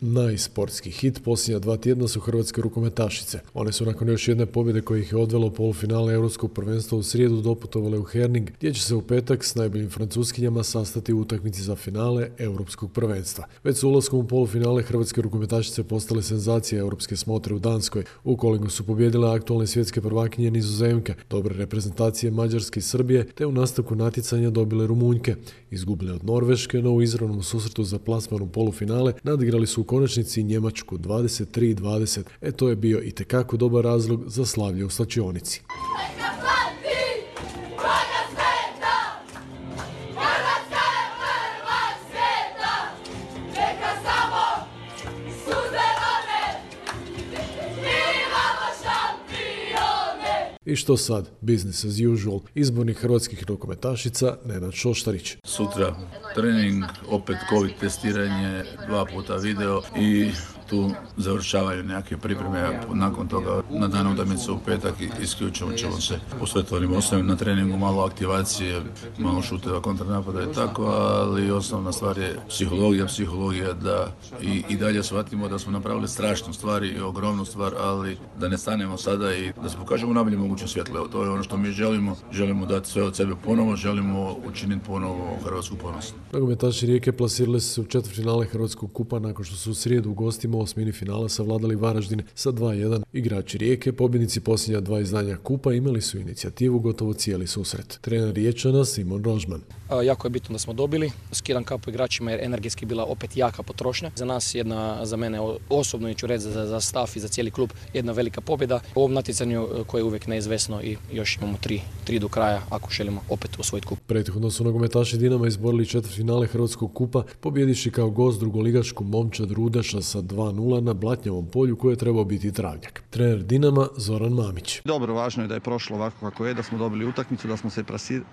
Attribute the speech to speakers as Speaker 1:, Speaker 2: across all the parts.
Speaker 1: Najsportski hit posljednja 2 tjedna su hrvatske rukometašice. One su nakon još jedne pobjede koja ih je odvelo u polufinale Europskog prvenstva u srijedu doputovale u Herning, gdje će se u petak s najboljim Francuskinjama sastati u utakmici za finale Europskog prvenstva. Već s ulaskom u polufinale hrvatske rukometašice postale senzacije europske smotre u Danskoj. U kolingu su pobijedile aktualne svjetske prvakinje Nizozemke, dobre reprezentacije Mađarske i Srbije, te u nastavku natjecanja dobile Rumunjke. Izgubile od Norveške, no u izravnom susretu za plasman u polufinale nadigrali su u konačnici Njemačku 23-20. To je bio itekako dobar razlog za slavlje u slačionici. I što sad? Business as usual. Izbornik hrvatskih rukometašica Nenad Šoštarić.
Speaker 2: Sutra trening, opet COVID testiranje, 2 puta video i tu završavaju neke pripreme. Nakon toga na dan utakmice u petak isključivo ćemo se posvetiti onim osnovnim na treningu, malo aktivacije, malo šuteva, kontranapada i tako, ali osnovna stvar je psihologija da i dalje shvatimo da smo napravili strašnu stvar i ogromnu stvar, ali da ne stanemo sada i da se pokažemo najbolje moguće svjetlo. To je ono što mi želimo dati sve od sebe ponovo, želimo učiniti ponovo Hrvatsku ponosnu.
Speaker 1: Nogometaši Rijeke plasirali su se u četvrtfinale Hrvatskog kupa nakon što su u srijedu u gostima osmini finala savladali Varaždin sa 2:1. Igrači Rijeke, pobjednici posljednja 2 izdanja kupa, imali su inicijativu gotovo cijeli susret. Trener Riječana Simon Rožman.
Speaker 3: Jako je bitno da smo dobili. Skidam kapu igračima jer energetski bila opet jaka potrošnja. Za nas za mene osobno, i ću reći za staff i za cijeli klub, jedna velika pobjeda u ovom natjecanju koje je uvijek neizvesno i još imamo 3 do kraja ako želimo opet osvojiti kup.
Speaker 1: Prethodno su nogometaši Dinama izborili četvrtfinale Hrvatskog kupa, pobjediši kao gost drugoligašku Momčad Rudeša sa 2:0 na Blatnjavom polju koje je trebao biti travnjak. Trener Dinama Zoran Mamić.
Speaker 4: Dobro, važno je da je prošlo ovako kako je, da smo dobili utakmicu, da smo se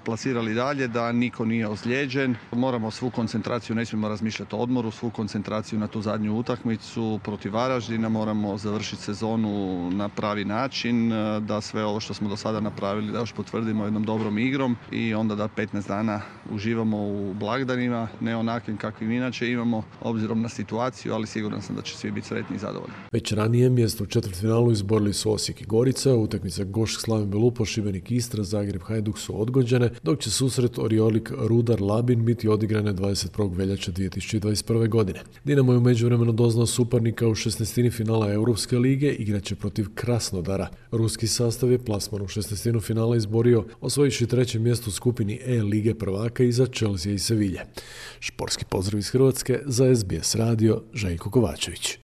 Speaker 4: plasirali dalje, da niko nije ozlijeđen. Moramo svu koncentraciju, ne smijemo razmišljati o odmoru, svu koncentraciju na tu zadnju utakmicu protiv Varaždina, moramo završiti sezonu na pravi način, da sve ovo što smo do sada napravili da još potvrdimo jednom dobrom igrom i onda da 15 dana uživamo u blagdanima, ne onakvim kakvim inače imamo, obzirom na situaciju, ali siguran sam da će svi biti sretni i zadovoljni.
Speaker 1: Već ranije mjesto u četvrtfinalu izborili su Osijek i Gorica, utakmica Gošk Slaven Belupo, Šibenik Istra, Zagreb Hajduk su odgođene, dok će susret Oriolik Rudar Labin biti odigrane 21. veljače 2021. godine. Dinamo je u međuvremenu doznao suparnika u 16. finala Europske lige, igraće protiv Krasnodara. Ruski sastav je plasman u 16. finala izborio, osvojivši 3. mjesto u skupini E lige prvaka iza Chelsea i Sevilje. Športski pozdrav iz Hrvatske za SBS radio, Željko Kovačević.